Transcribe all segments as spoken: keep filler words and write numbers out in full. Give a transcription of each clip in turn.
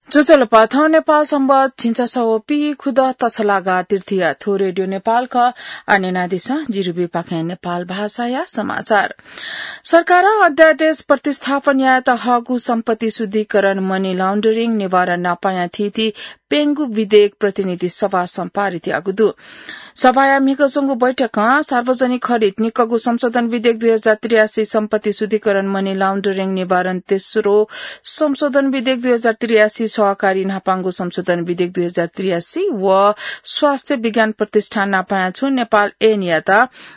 ज्वजलपा, थौं नेपाल संवत् झिंछसः व पीखुदँ तछलागा तृतीया। थ्व रेडियो नेपाल खः। आः न्यनादिसँ, जिरुबी पाखें नेपाल भाषाया समाचार। सरकारं अध्यादेश प्रतिस्थापन यायेत हःगु सम्पत्ति शुद्धिकरण, money laundering, निवारण नापायां थीथी प्यंगू विधेयक प्रतिनिधि सभासं पारित याःगु दु। सभाया म्हिगः च्वंगु बैठकं सार्वजनिक खरिद निकःगु संशोधन विधेयक दुई हजार त्रियासी, सम्पत्ति शुद्धिकरण, money laundering निवारण तेस्रो संशोधन विधेयक दुई हजार त्रियासी, सहकारी न्हापांगु संशोधन विधेयक दुई हजार त्रियासी व स्वास्थ्य विज्ञान प्रतिष्ठान नापायां छुं नेपाल ऐनयात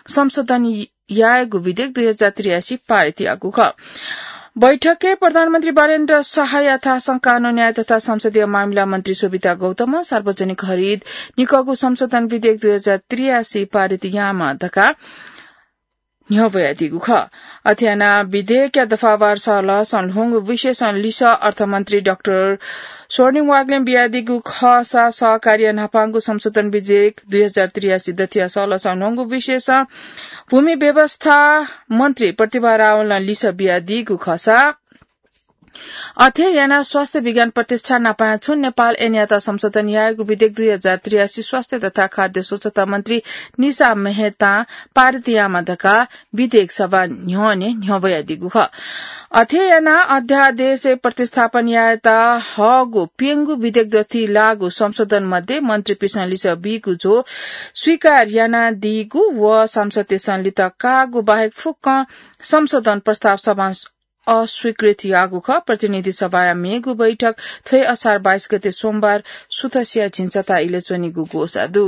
संशोधन यायेगु विधेयक दुई हजार त्रियासी पारित याःगु खः। बैठकय् प्रधानमन्त्री बालेन्द्र शाहया थासं कानून न्याय तथा संसदीय मामिला मन्त्री शोभिता गौतमं सार्वजनिक खरिद निकःगु संशोधन विधेयक दुई हजार त्रियासी पारित यायेमाः धकाः न्ह्यब्वयादीगु खः। अथे यानाः विधेयकया दफावार सहलहसं ल्ह्वंगु विषयसं लिसः अर्थमन्त्री डाक्टर स्वर्णिम वाग्लें बियादीगु खःसा सहकारीया न्हापांगु संशोधन विधेयक दुई हजार त्रियासी दथिया सहलहसं ल्ह्वंगु विषयसं भूमि व्यवस्था मन्त्री प्रतिभा रावलं लिसः बियादीगु खःसा अथे यानाः स्वास्थ्य विज्ञान प्रतिष्ठान नापायां छुं नेपाल ऐनयात संशोधन यायेगु विधेयक दुई हजार त्रियासी स्वास्थ्य तथा खाद्य स्वच्छता मन्त्री निशा मेहतां पारित यायेमाः धकाः विधेयक सभा न्ह्यःने न्ह्यब्वयादीगु खः। अथे यानाः अध्यादेश प्रतिस्थापन यायेत हःगु प्यंगू विधेयक दथुइ लाःगु संशोधन मध्ये मन्त्रीपिसं लिसः बीगु झ्वः स्वीकार यानादीगु व सांसदतय्सं लित काःगु बाहेक फुक्कं संशोधन प्रस्ताव सभां अस्वीकृत याःगु खः। प्रतिनिधि सभाया मेगु बैठक थ्व हे असार बाइस गते सोमबार सुथसिया झिंछता इलय् च्वनीगु ग्वसाः दु।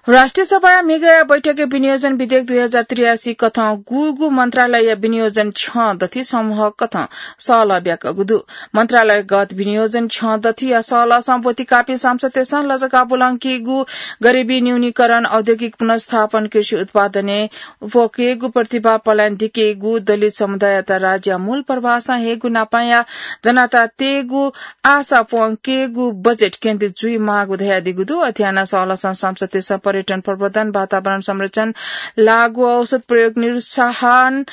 राष्ट्रिय सभाया म्हिगःया बैठकय् विनियोजन विधेयक दुई हजार त्रियासी कथं गुगु मन्त्रालयया विनियोजन क्षं दथुइ समूह कथं सहलह ब्याकःगु दु। मन्त्रालयगत विनियोजन क्षं दथुइया सहलहसं ब्वति काःपिं सांसदतय्सं लजगाः ब्वलंकीगु गरिबी न्यूनीकरण, औद्योगिक पुनर्स्थापन, कृषि उत्पादनय् प्वंकेगु, प्रतिभा पलायन दिकेगु, दलित समुदाययात राज्यया मूल प्रवाहसं हयेगु, नापांया जनतातय्गु आशा प्वंकेगु बजेट केन्द्रित जुइमाःगु धयादीगु दु। अथे यानाः सहलहसं सांसदतय्सं पर्यटन प्रवर्धन, वातावरण संरक्षण, लागू औषध प्रयोग निरुत्साहन,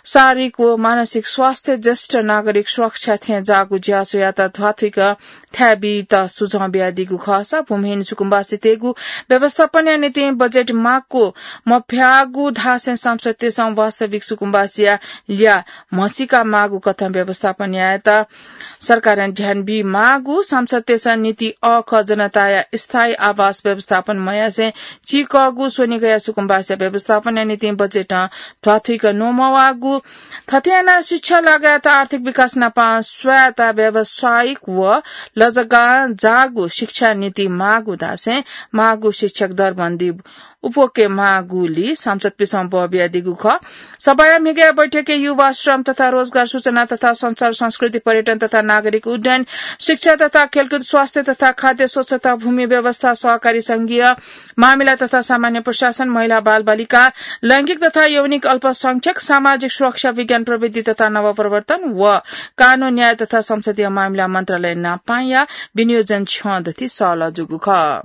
शारीरिक व मानसिक स्वास्थ्य, ज्येष्ठ नागरिक सुरक्षा थें जाःगु ज्यासुयात ध्वाथुइक थाय् बीत सुझाव बियादीगु खःसा भूमिहीन सुकुम्बासीतय्गु व्यवस्थापनया निंतिं बजेट माक्व मफ्याःगु धासें सांसदतय्सं वास्तविक सुकुम्बासीया ल्याः म्हसीका माःगु कथं व्यवस्थापन यायेत सरकारं ध्यान बीमाःगु, सांसदतय्सं नीति अःखः जनताया स्थायी आवास व्यवस्थापन मयासें चीकःगु स्वनिगःया सुकुम्बासीया व्यवस्थापनया निंतिं बजेटं ध्वाथुइक न्वमवाःगु, थथे यानाः शिक्षा लगायत आर्थिक विकास नाप स्वयात व्यावसायिक व लजगाः जाःगु शिक्षा नीति माःगु धासें माःगु शिक्षक दरबन्दी उप्वके माःगुलिं सांसदपिसं बः बियादीगु खः। सभाया म्हिगःया बैठकय् युवा, श्रम तथा रोजगार, सूचना तथा संचार, संस्कृति, पर्यटन तथा नागरिक उड्डयन, शिक्षा तथा खेलकुद, स्वास्थ्य तथा खाद्य स्वच्छता, भूमि व्यवस्था, सहकारी संघीय मामिला तथा सामान्य प्रशासन, महिला बालबालिका, लैंगिक तथा यौनिक अल्पसंख्यक, सामाजिक सुरक्षा, विज्ञान प्रविधि तथा नवप्रवर्तन व कानून न्याय तथा संसदीय मामिला मन्त्रालय नापांया विनियोजन क्षं दथुइ सहलह जूगु खः।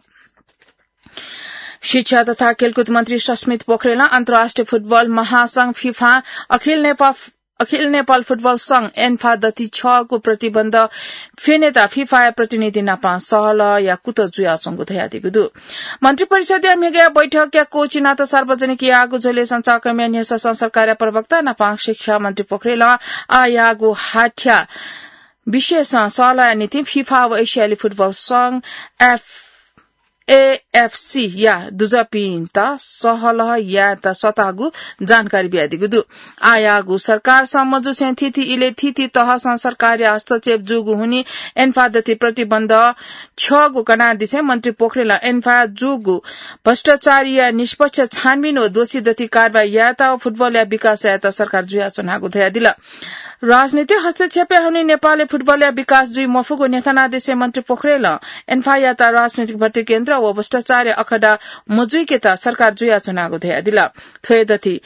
शिक्षा तथा खेलकुद मन्त्री सस्मित पोखरेलं अन्तर्राष्ट्रिय फुटबल महासंघ फिफा अखिल नेपाल अखिल नेपाल फुटबल संघ एन्फा दथुइ छःगु प्रतिबन्ध फ्यनेत फिफाया प्रतिनिधि नाप सहलहया कुतः जुयाच्वंगु धयादीगु दु। मन्त्रिपरिषदया म्हिगःया बैठकया कोचिनात सार्वजनिक याःगु झ्वलय् सञ्चारकर्मीया न्ह्यसः सरकारया प्रवक्ता नाप शिक्षा मन्त्री पोखरेलं आः याःगु हाथ्या विषयसं सहलहया निंतिं फिफा व एसियाली फुटबल संघ एफ एएफसीया दुजःपिन्त सहलह यायेत सःतागु जानकारी बियादीगु दु। आः याःगु सरकारसं मजूसें थीथी इलय् थीथी तहसं सरकारया हस्तक्षेप जूगु हुनिं एन्फा दथुइ प्रतिबन्ध छ्यःगु कनादिसें मन्त्री पोखरेलं एन्फाय् जूगु भ्रष्टाचारया निष्पक्ष छानबिन व दोषी दथुइ कारवाही यायेत व फुटबलया विकास यायेत सरकार जुयाच्वनागु धयादिल। राजनीतिक हस्तक्षेपया हुनिं नेपालय् फुटबलया विकास जुइ मफुगु न्ह्यथनादिसें मन्त्री पोखरेलं एन्फायात राजनीतिक भ्रतृकेन्द्र व भ्रष्टाचारया अखडा मजुइकेत सरकार जुयाच्वनागु धयादिल। थ्व हे दथुइ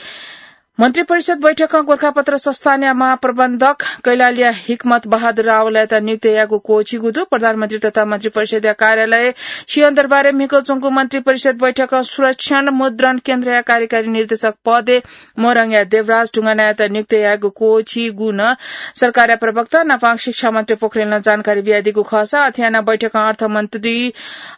मन्त्री परिषद बैठकं गोरखापत्र संस्थानया महाप्रबन्धक कैलालीया हिक्मत बहादुर रावलयात नियुक्त यायेगु क्वःछिगु दु। प्रधानमन्त्री तथा मन्त्री परिषदया कार्यालय सिंहदरबारय् म्हिगः च्वंगु मन्त्री परिषद बैठकं सुरक्षण मुद्रण केन्द्रया कार्यकारी निर्देशक पदय् मोरङया देवराज ढुङ्गानायात नियुक्त यायेगु क्वःछिगु नं सरकारया प्रवक्ता नापं शिक्षा मन्त्री पोखरेलं जानकारी बियादीगु खःसा अथे यानाः बैठकं अर्थमन्त्री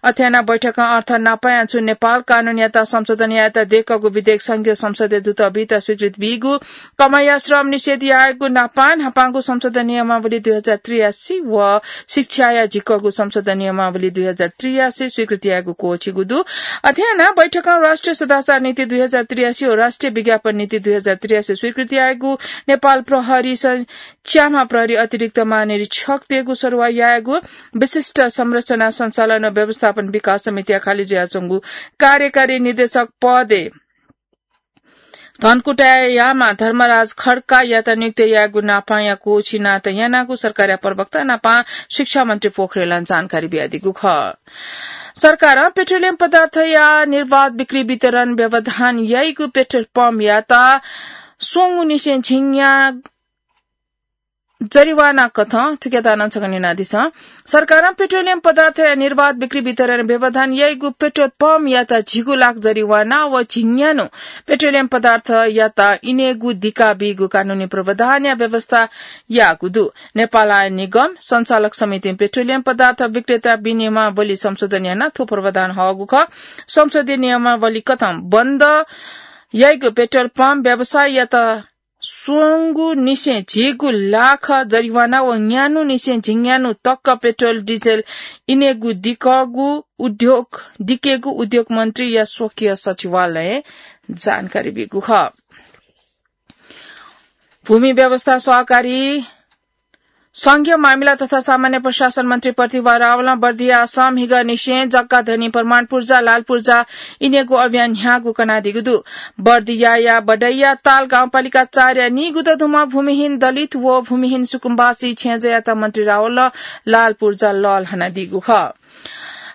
अथे यानाः बैठकं अर्थ नापं छु नेपाल कानूनयात संशोधन यायेत दय्कःगु विधेयक संघीय संसदय् दुत बीत स्वीकृति बीगु, कमया श्रम निषेध यायेगु नापं न्हापांगु संशोधन नियमावली दुई हजार त्रियासी व शिक्षाया झिक्कःगु संशोधन नियमावली दुई हजार त्रियासी स्वीकृति यायेगु क्वःछिगु दु। अथे यानाः बैठकं राष्ट्रिय सदाचार नीति दुई हजार त्रियासी व राष्ट्रिय विज्ञापन नीति दुई हजार त्रियासी स्वीकृति यायेगु, नेपाल प्रहरी स-, च्याम्ह प्रहरी अतिरिक्त महानिरीक्षकतय्गु सरुवा यायेगु, विशिष्ट संरचना सञ्चालन व व्यवस्थापन विकास समितिया खाली जुयाच्वंगु कार्यकारी निर्देशक पदय् धनकुटायाम्ह धर्मराज खड्कायात नियुक्त यायेगु नापंया क्वःछिनात यानागु सरकारया प्रवक्ता नापं शिक्षा मन्त्री पोखरेलं जानकारी बियादीगु खः। सरकारं पेट्रोलियम पदार्थया निर्वाध बिक्री वितरण व्यवधान याइगु पेट्रोल पम्पयात स्वंगु निसें झिंन्याः जरिवाना कथं थुकियात नं छकः न्यनादिसँ। सरकारं पेट्रोलियम पदार्थया निर्वाध बिक्री वितरण व्यवधान याइगु पेट्रोल पम्पयात झिगू लाख जरिवाना व झिंन्यान्हु पेट्रोलियम पदार्थयात इनेगु दिका बीगु कानूनी प्रावधानया व्यवस्था याःगु दु। नेपाल आयल निगम, सञ्चालक समितिं पेट्रोलियम पदार्थ विक्रेता विनियमावली संशोधन यानाः थ्व प्रावधान हःगु खः। संशोधित नियमावली कथं बन्द याइगु पेट्रोल पम्प व्यवसायीयात स्वंगु निसें झिगू लाख जरिवाना व न्यान्हु निसें झिंन्यान्हु तक पेट्रोल डिजेल इनेगु दिकःगु उद्योग, दिकेगु उद्योग मन्त्रीया स्वकीय सचिवालयं जानकारी बीगु खः। भूमि व्यवस्था सहकारी संघीय मामिला तथा सामान्य प्रशासन मन्त्री प्रतिभा रावलं बर्दियासं म्हिगः निसें जग्गा धनी प्रमाण पुर्जा, लाल पुर्जा इनेगु अभियान न्ह्याःगु कनादीगु दु। बर्दियाया बडैया ताल गाउँपालिका चारया नीगुदँ दुम्ह भूमिहीन दलित व भूमिहीन सुकुम्बासी छेँजःयात मन्त्री रावलं लाल पुर्जा लःल्हानादीगु खः।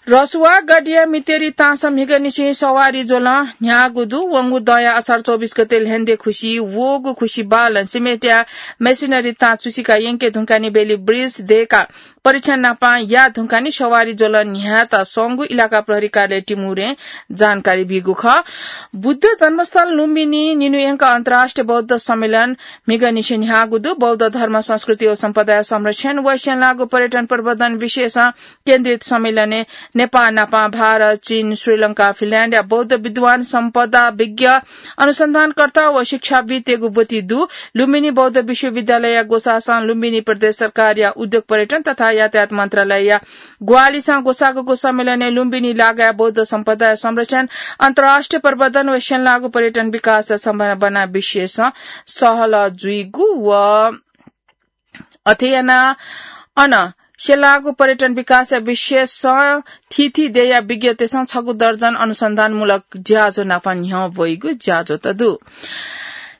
रसुवा गढीया मितेरी ताँसं म्हिगः निसें सवारी ज्वलं न्ह्याःगु दु। वंगु दँया असार चौबिस गते ल्ह्यन्दे खुसि वःगु खुसि बालं सिमेन्टया मेसिनरी ताँ चुसिका यंके धुंकानि बेली ब्रिज दय्काः परीक्षण नापं याये धुंकानि सवारी ज्वलं न्ह्यायेत संगु इलाका प्रहरी कार्यालय टिमुरें जानकारी बीगु खः। बुद्ध जन्मस्थल लुम्बिनी निन्हु यंक अन्तर्राष्ट्रिय बौद्ध सम्मेलन म्हिगः निसें न्ह्याःगु दु। बौद्ध धर्म, संस्कृति व सम्पदाया संरक्षण व स्यंलाःगु पर्यटन प्रवर्धन विषयसं केन्द्रित सम्मेलनय् नेपाः नापं भारत, चीन, श्रीलंका, फिनल्याण्डया बौद्ध विद्वान, सम्पदाविज्ञ, अनुसन्धानकर्ता व शिक्षाविद्तय्गु ब्वति दु। लुम्बिनी बौद्ध विश्वविद्यालयया ग्वसाःसं लुम्बिनी प्रदेश सरकारया उद्योग पर्यटन तथा यातायात मन्त्रालयया ग्वाहालिसं ग्वसाःगु सम्मेलनय् लुम्बिनी लागाया बौद्ध सम्पदाया संरक्षण, अन्तर्राष्ट्रिय प्रवर्धन व स्यंलाःगु पर्यटन विकासया सम्भावना विषयसं सहलह जुइगु व अथे यानाः अन स्यंलाःगु पर्यटन विकासया विषयसं थीथी देय्या विज्ञतय्सं छगू दर्जन अनुसन्धानमूलक ज्याझ्वः नापं न्ह्यः ब्वइगु ज्याझ्वःत दु।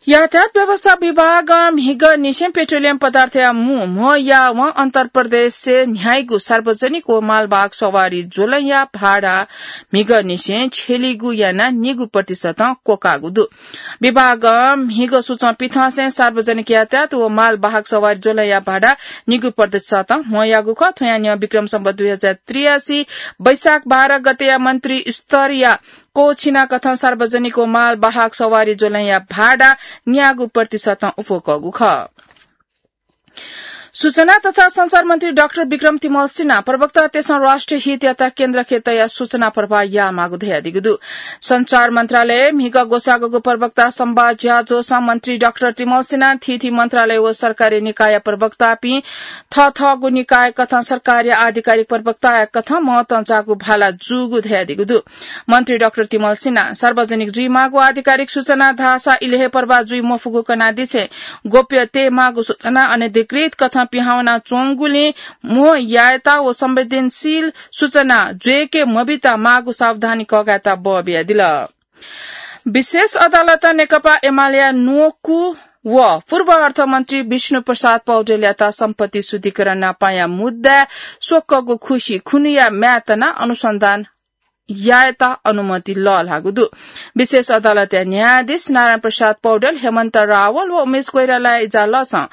यातायात व्यवस्था विभागं म्हिगः निसें पेट्रोलियम पदार्थया मू म्ह यावं अन्तर्प्रदेशय् न्ह्याइगु सार्वजनिक व मालवाहक सवारी ज्वलंया भाडा म्हिगः निसें छ्यलीगु यानाः निगू प्रतिशतं क्वकाःगु दु। विभागं म्हिगः सुचं पिथंसें सार्वजनिक यातायात व मालवाहक सवारी ज्वलंया भाडा निगू प्रतिशतं म्ह याःगु खः। थ्वयां न्ह्यः विक्रम सम्वत दुई हजार त्रियासी वैशाख बाह्र गतेया मन्त्री स्तरया क्वःछिना कथं सार्वजनिक व मालवाहक सवारी ज्वलंया भाडा न्यागू प्रतिशतं उप्वकःगु खः। सूचना तथा सञ्चार मन्त्री डाक्टर विक्रम तिमल सिन्हा प्रवक्तातय्सं राष्ट्रिय हितयात केन्द्र खेतया सूचना प्रवाह यायेमाःगु धयादीगु दु। सञ्चार मन्त्रालयय् म्हिगः ग्वसाःगु प्रवक्ता संवाद ज्याझ्वलय् मन्त्री डाक्टर तिमल सिन्हां थीथी मन्त्रालय व सरकारी निकायया प्रवक्तापिं थःथःगु निकाय कथं सरकारया आधिकारिक प्रवक्ताया कथं महत्वं जाःगु भाला जूगु धयादीगु दु। मन्त्री डाक्टर तिमल सिन्हां सार्वजनिक जुइमाःगु आधिकारिक सूचना धाःसा इलय् हे प्रवाह जुइ मफुगु कनादिसें गोप्य तयेमाःगु सूचना अनधिकृत कथं पिहां वनाच्वंगुलिं म्ह यायेत व संवेदनशील सूचना ज्वय्के मबित माःगु सावधानी कःघायेत बः बियादिल। विशेष अदालतं नेकपा एमालेया न्वकू व पूर्व अर्थमन्त्री विष्णु प्रसाद पौडेलयात सम्पत्ति शुद्धिकरण नापांया मुद्दाय् स्वकःगु खुसि खुनुया म्याय् तनाः अनुसन्धान यायेत अनुमति लःल्हाःगु दु। विशेष अदालतया न्यायाधीश नारायण प्रसाद पौडेल, हेमन्त रावल व उमेश कोइरालाया इजालसं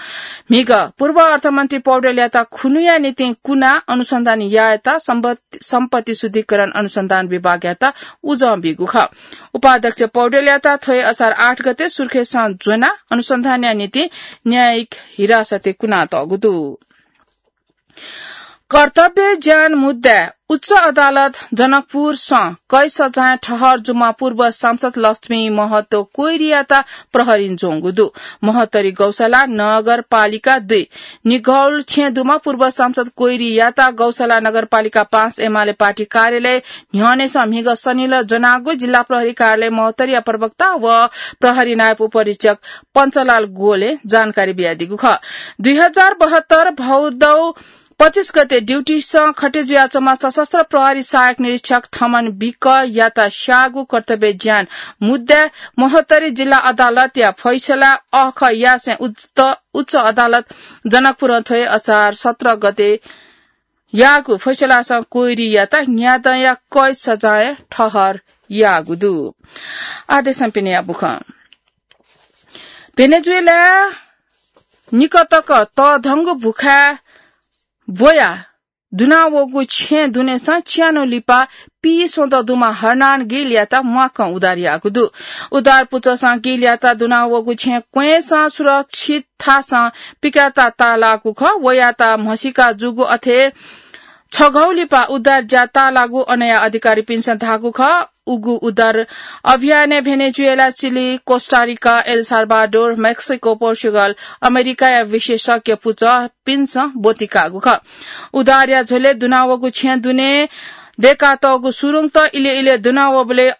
म्हिगः पूर्व अर्थमन्त्री पौडेलयात खुनुया निंतिं कुना अनुसन्धान यायेत सम्पत्ति, सम्पत्ति शुद्धिकरण अनुसन्धान विभागयात उजं बीगु खः। उपाध्यक्ष पौडेलयात थ्व हे असार आठ गते सुर्खेसं ज्वनाः अनुसन्धानया निंतिं न्यायिक हिरासतय् कुनातःगु दु। कर्तव्य ज्यान मुद्दाय् उच्च अदालत जनकपुरसं कैद सजाय ठहर जूम्ह पूर्व सांसद लक्ष्मी महतो कोइरीयात प्रहरीं ज्वंगु दु। महोत्तरी गौशाला नगरपालिका दुई निगौल छेँ दुम्ह पूर्व सांसद कोइरीयात गौशाला नगरपालिका पाँच एमाले पार्टी कार्यालय न्ह्यःनेसं म्हिगः शनिलः ज्वनागु जिल्ला प्रहरी कार्यालय महोत्तरीया प्रवक्ता व प्रहरी नायब उपरीक्षक पञ्चलाल गोले जानकारी बियादीगु खः। दुई हजार बहत्तर भौदौ पच्चिस गते ड्युटीसं खटे जुयाच्वंम्ह सशस्त्र प्रहरी सहायक निरीक्षक थमन बिकयात स्याःगु कर्तव्य ज्यान मुद्दाय् महोत्तरी जिल्ला अदालतया फैसला अःखयासें उच्च, उच्च अदालत जनकपुरं थ्व हे असार सत्र गते याःगु फैसलासं कोइरीयात न्यादँया कैद सजाय ठहर याःगु दु। आदेशं पिने याबुखं भेनेजुएला निकतक तःधंगु भुखाय् ब्वया दुनावःगु छेँ दुनेसं च्यान्हु लिपा पीस्वदँ दुम्ह हर्नान गिलयात म्वाकं उद्धार याःगु दु। उद्धार पुचःसं गिलयात दुनावःगु छेँ क्वँय्‌सं सुरक्षित थासं पिकायेत ताःलाःगु खः। वयात म्हसीका जूगु अथे छघौ लिपा उद्धार ज्या ताःलाःगु अनया अधिकारीपिन्सं धाःगु खः। उगु उद्धार अभियानय् Venezuela, chilli, Costa Rica, L Salvador, Mexico, Portugal, अमेरिकाया विशेषज्ञ पुचःपिन्सं ब्वति काःगु खः। उद्धारया झ्वलय् दुनावःगु छेँ दुने दय्कातःगु सुरुङत इलय् इलय् दुनावःबलय्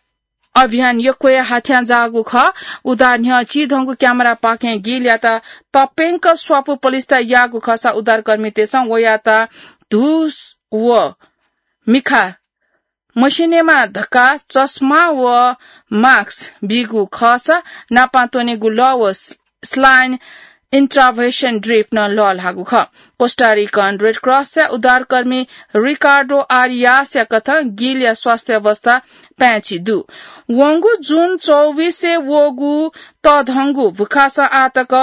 अभियान यक्व हे हाथ्यां जाःगु खः। उद्धार न्ह्यः चिधंगु क्यामेरापाखें गिलयात तप्यंक स्वापू पलिस्था याःगु खःसा उद्धारकर्मीतय्सं वयात धूस व मिखा मस्यनेमा धकाः चस्मा व मास्क बीगु खःसा नापां त्वनेगु लः व स-, स्लाइन इन्ट्राभेसन ड्रिप नं लःल्हाःगु खः। कोस्टारिकन रेड क्रसया उद्धारकर्मी रिकार्डो आरियासया कथं गिलया स्वास्थ्य अवस्था पाय्‌छि दु। वंगु जुन चौबिसय् वःगु तःधंगु भुखासं आःतक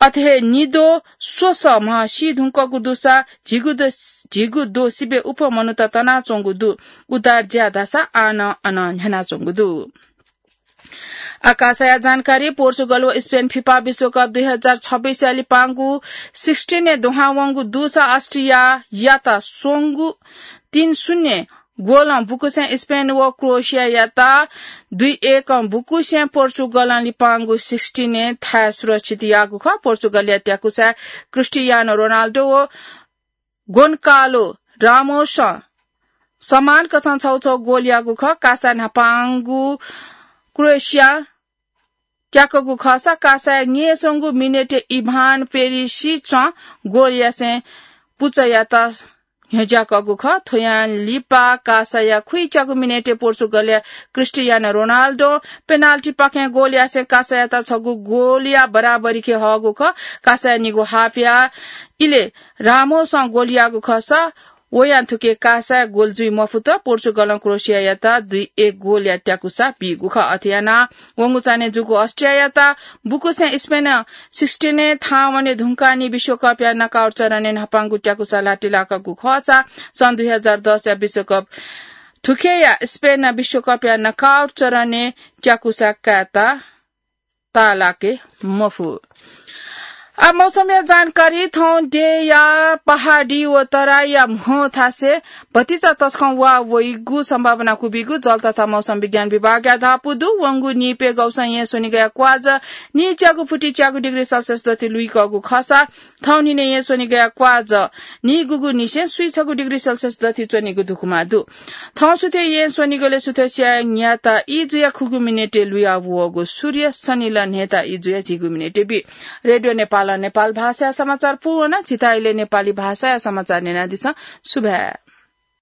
अथे हे निद्वः स्वसः म्ह सी धुंकूगु दुसा झिगू दो, झिगू दो सिबें उप्वः मनूत तनाच्वंगु दु। उद्धार ज्या धाःसा आः नं अन न्ह्यानाच्वंगु दु। आकाशया जानकारी। पोर्चुगल व स्पेन फिफा विश्वकप दुई हजार छब्बीसया लिपांगु सिक्सटिनय् दुहां वंगु दुसा अस्ट्रियायात स्वंगू तीन शून्य गोलं बुकुसें स्पेन व क्रोएसियायात दुई एकं बुकुसें पोर्चुगलं लिपांगु सिक्सटिनय् थाय् सुरक्षित याःगु खः। पोर्चुगलया त्याकुसाय् क्रिस्टियानो रोनाल्डो व गोन्कालो रामोसं समान कथं छौ छौ गोल याःगु खः। कासा न्हापांगु क्रोएसिया त्याकूगु खःसा कासाया न्यय्‌संगु मिनेटय् इभान पेरिसिचं गोल यासें पुचःयात न्ह्यज्याकूगु खः। थ्वयां लिपा कासाया खुइच्यागु मिनेटय् पोर्चुगलया क्रिस्टियानो रोनाल्डों पेनाल्टीपाखें गोल यासें कासायात छगू गोलया बराबरीके हःगु खः। कासाया निगू हाफया इलय् रामोसं गोल याःगु खःसा वयां थुके कासाय् गोल जुइ मफुत। पोर्चुगलं क्रोएसियायात दुई एक गोलया त्याकुसा बीगु खः। अथे यानाः वंगु चान्हय् जूगु अस्ट्रियायात बुकुसें स्पेनं सिक्सटिनय् थाहां वने धुंकाः नि विश्वकपया नकआउट चरणय् न्हापांगु त्याकुसा लातिलाकागु खःसा सन् दुई हजार दसया विश्वकप थुखेया स्पेनं विश्वकपया नकआउट चरणय् त्याकुसा कायेत ताःलाके मफु। आ, मौसमया जानकारी। थौं देय्‌या पहाडी व तराईया म्हो थासय् भतिचा तसकं वा वइगु सम्भावना क्वबिगु जल तथा मौसम विज्ञान विभागया धापू दु। वंगु नीप्यघौसं येँ स्वनिगःया क्वाजः नीच्यागु फुति च्यागु डिग्री सेल्सियस दथि लुइकःगु खःसा थौंनिने येँ स्वनिगःया क्वाजः नीगुगु निसें स्वीछगू डिग्री सेल्सियस दथि च्वनीगु धुकुमा दु। थौं सुथय् येँ स्वनिगलय् सुथसिया न्याता ई जुया खुगू मिनेटय् लुया वःगु सूर्य सनिल न्हय्‌ता ई जुया झिगू मिनेटय् बी। रेडियो नेपालं नेपाल भाषाया समाचार पूवन। झीत इलय् नेपाली भाषाया समाचार न्यनादिसँ। सुभाय्।